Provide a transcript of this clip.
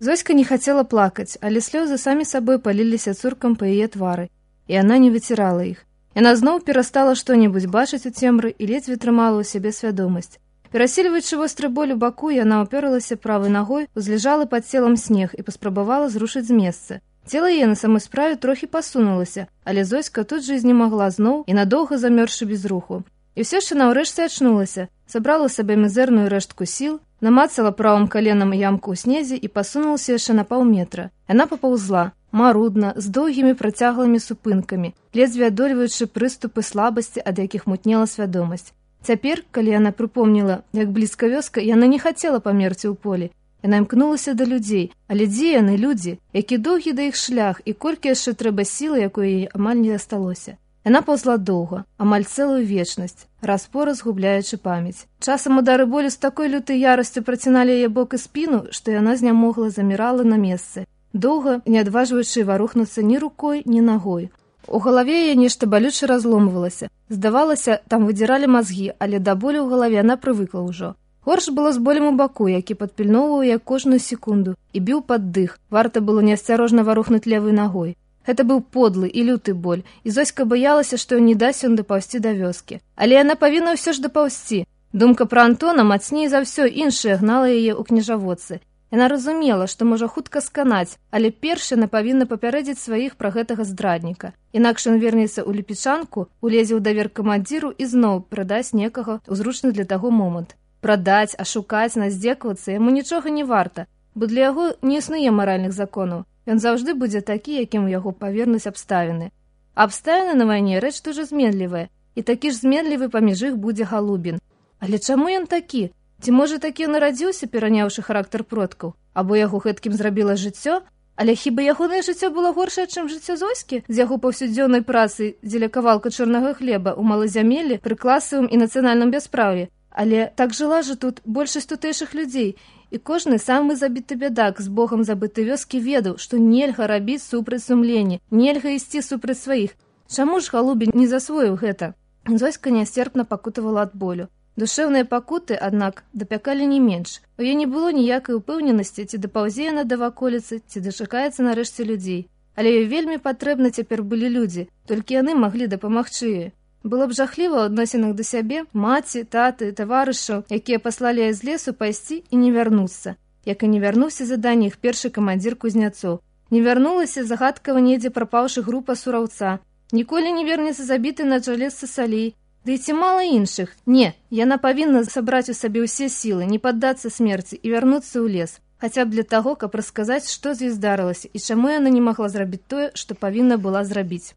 Зоська не хацела плакаць, але слёзы самі сабой паліліся цуркам па яе твары, і яна не выцірала іх. Яна зноў перастала што-небудзь бачыць у цемры і ледзьве трымала ў сябе свядомасць. Перасільваючы востры боль у баку, яна ўперлася правай нагой, узлежала пад целам снег і паспрабавала зрушыць з месца. Цела яе на самой справе трохі пасунулася, але Зоська тут жа знемагла зноў і надоўга замёрзшы без руху. І ўсё ж яна ўрэшце ачнулася, сабрала сабе мізэрную рэштку сіл, намацала правым каленам ямку ў снезе і пасунулася яшчэ на паўметра. Яна папаўзла, марудна, з доўгімі працяглымі супынкамі, ледзьве адольваючы прыступы слабасці, ад якіх мутнела свядомасць. Цяпер, калі яна прыпомніла, як блізка вёска, яна не хацела памерці ў полі. Яна імкнулася да людзей, але дзе яны, людзі, які доўгі да іх шлях і колькі яшчэ трэба сілы, якой яе амаль не засталося. Яна паўзла доўга, амаль цэлую вечнасць, раз-пораз губляючы памяць. Часам удары болю з такой лютай ярасцю праціналі яе бок і спіну, што яна знямогла, замірала на месцы, доўга не адважваючы варухнуцца ні рукой, ні нагой. У галаве яе нешта балюча разломвалася. Здавалася, там выдзіралі мазгі, але да болю ў галаве яна прывыкла ўжо. Горш было з болем у баку, які падпільноўваў яе кожную секунду і біў пад дых. Варта было неасцярожна варухнуць левай нагой. Гэта быў подлы і люты боль, і Зоська баялася, што ён не дасць ён дапаўсці да вёскі. Але яна павінна ўсё ж дапаўсці. Думка пра Антона мацней за ўсё іншае гнала яе ў княжаводцы. Яна разумела, што можа хутка сканаць, але перш яна павінна папярэдзіць сваіх пра гэтага здрадніка. Інакш ён вернецца ў ліпічанку, улезе ў давер камандзіру і зноў прадасць некага ў зручны для таго момант. Прадаць, ашукаць, наздзекавацца яму нічога не варта, бо для яго не існуе маральных законаў. Ён заўжды будзе такі, якім у яго павернуць абставіны. А абставіны на вайне рэч дужа зменлівая, і такі ж зменлівы паміж іх будзе Галубін. Але чаму ён такі? Ці можа такі нарадзіўся, пераняўшы характар продкаў? Або яго гэткім зрабіла жыццё? Але хіба ягонае жыццё было горшае, чым жыццё Зоські з яго паўсюдзённай працы дзеля кавалка чорнага хлеба ў малазямеллі пры класавым і нацыянальным бясправі? Але так жыла жа тут большасць тутэйшых людзей, і кожны самы забіты бядак з Богам забытай вёскі ведаў, што нельга рабіць супраць сумлення, нельга ісці супраць сваіх. Чаму ж Галубін не засвоіў гэта? Зоська нясцерпна пакутавала ад болю. Душэўныя пакуты, аднак, дапякалі не менш. У яе не было ніякай упэўненасці, ці дапаўзе яна да ваколіцы, ці дачакаецца нарэшце людзей. Але ёй вельмі патрэбна цяпер былі людзі, толькі яны маглі дапамагчы ёй. Было б жахліва ў адносінах да сябе, маці, таты, таварышаў, якія паслалі яе з лесу пайсці і не вярнуцца. Як і не вярнуўся задання іх першы камандзір кузняцоў. Не вярнулася загадкава недзе прапаўшы група сураўца. Ніколі не вернецца забіты на чале з Сасалей. Ды і ці мала іншых? Не, яна павінна сабраць у сабе ўсе сілы, не паддацца смерці і вярнуцца ў лес. Хаця б для таго, каб расказаць, што з ёй здарылася і чаму яна не магла зрабіць тое, што павінна была зрабіць.